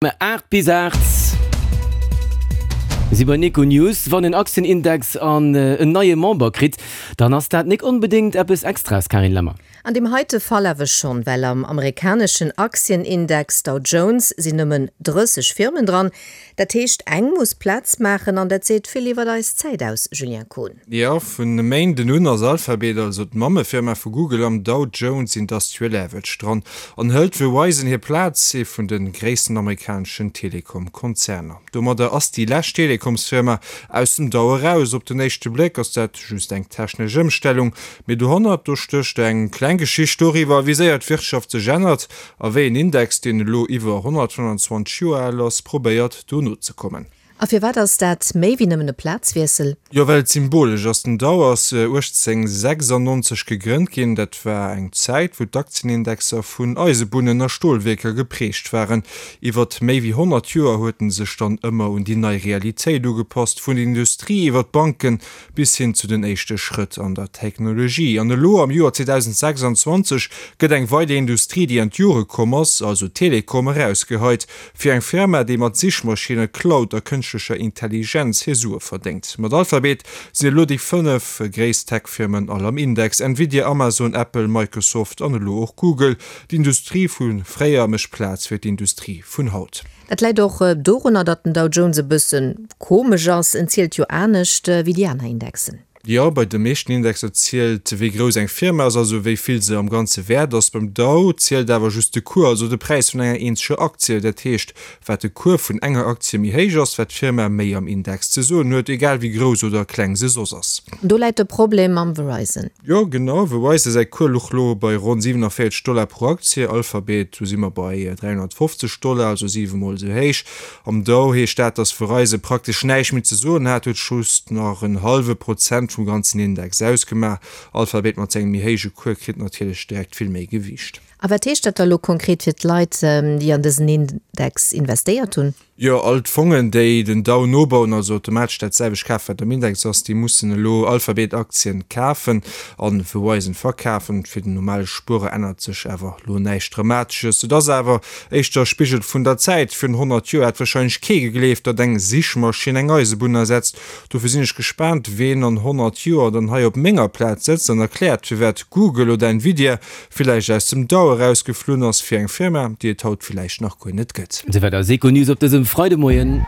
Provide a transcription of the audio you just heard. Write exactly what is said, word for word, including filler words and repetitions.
Aacht bis aacht si bei Econews. Wann en Aktienindex an en neie Member kritt, dann ass dat nik onbedéngt eppes Extraes, Carine Lemmer. An deem heite Fall awer schonn, well am amerikaneschen Aktienindex Dow Jones sinn nëmmen drësseg Firmen dran. Dat heescht, eng muss Plaz maachen an dat seet vill iwwer eis Zäit aus, Julien Kohn. Jo, vun e Méinden un ass Alphabet, also d'Mammefirma vu Google, am Dow Jones Industrial Average dran an hëlt Verizon hir Plaz, ee vun de gréissten amerikaneschen Telekom-Konzerner. Domadder ass déi lescht Telekomsfirma aus dem Dow eraus. Op den éischte Bléck ass dat just eng technesch Ëmstellung, mee dohannert do stécht eng kleng Geschicht doriwwer, wéi séier d'Wirtschaft sech ännert a wéi en Index, deen elo iwwer honnertfënnwanzwanzeg Joer al ass, probéiert do nozekommen. A firwat ass dat méi wéi nëmmen e Plazwiessel? Jo, well et symbolesch ass. Den Dow ass uechtzéngsechsannonzeg gegrënnt ginn. Dat war eng Zäit, wou d'Aktienindexer vun Eisebunnen a Stolwierker geprägt waren. Iwwert méi wéi honnert Joer huet en sech dann ëmmer un déi nei Realitéit ugepasst, vun der Industrie iwwer d'Banken bis hin zu den éischte Schrëtt an der Technologie. An elo am Joer zweedausendsechsanzwanzeg gëtt eng weider Industrie, déi an d'Jore komm ass, also Telekom, erausgeheit. Fir eng Firma, déi mat Sichmaschinne, Cloud a kënschtlecher Intelligenz hir Sue verdéngt. Mat Alphabet sinn elo déi fënnef gréisst Tech-Firmen all am Index, Nvidia, Amazon, Apple, Microsoft an elo och Google. D'Industrie vu fréier mécht Plaz fir d'Industrie vun haut. Dat läit och dorunner, datt den Dow Jones e bësse komesch ass, en zielt jo anescht wéi déi aner Indexen. Jo, bei de meeschten Indexer zielt, wéi grouss eng Firma ass, also wéi vill se am Ganze wäert ass. Beim Dow zielt awer just de Cours, also de Präis vun enger eenzeger Aktie. Dat heescht, wat de Cours vun enger Aktie méi héich ass, wat d'Firma méi am Index ze soen huet, egal wéi grouss oder kleng se soss ass. Do läit de Problem mam Verizon. Jo, genau, Verizon säi Cours luch lo bei ronn siwenavéierzeg Dollar pro Aktie, Alphabet, do si mer bei dräihonnertfofzeg Dollar, also siwe mol esou héich. Am Dow heescht dat, datt Verizon praktesch näischt méi ze soen hat, huet just nach en hallwe Prozent vum ganzen Index ausgemaach. Alphabet mat sengem méi héije Cours kritt natierlech direkt vill méi Gewiicht. A wat heescht dat da lo konkret fir d'Leit, déi an dësen Index investéiert hunn? Jo, all d'Fongen, déi den Dow nobauen, also automatesch dat selwecht kafen, wat am Index ass, déi mussen elo Alphabet-Aktien kafen a Verizon verkafen. Fir den normale Spuerer ännert sech awer elo näischt Dramatesches. Et ass awer éischter e Spigel vun der Zäit. Virun honnert Joer hätt warscheinlech kee gegleeft, datt eng Sichmaschinn eng Eisebunn ersetzt. Dofir sinn ech gespaant, ween an honnert Joer dann hei op menger Plaz sëtzt an erkläert, firwat Google oder Nvidia villäicht aus dem Dow erausgeflunn ass fir eng Firma, déi et haut villäicht nach guer net gëtt. Esouwäit eis Econews op dësem Freidemoien.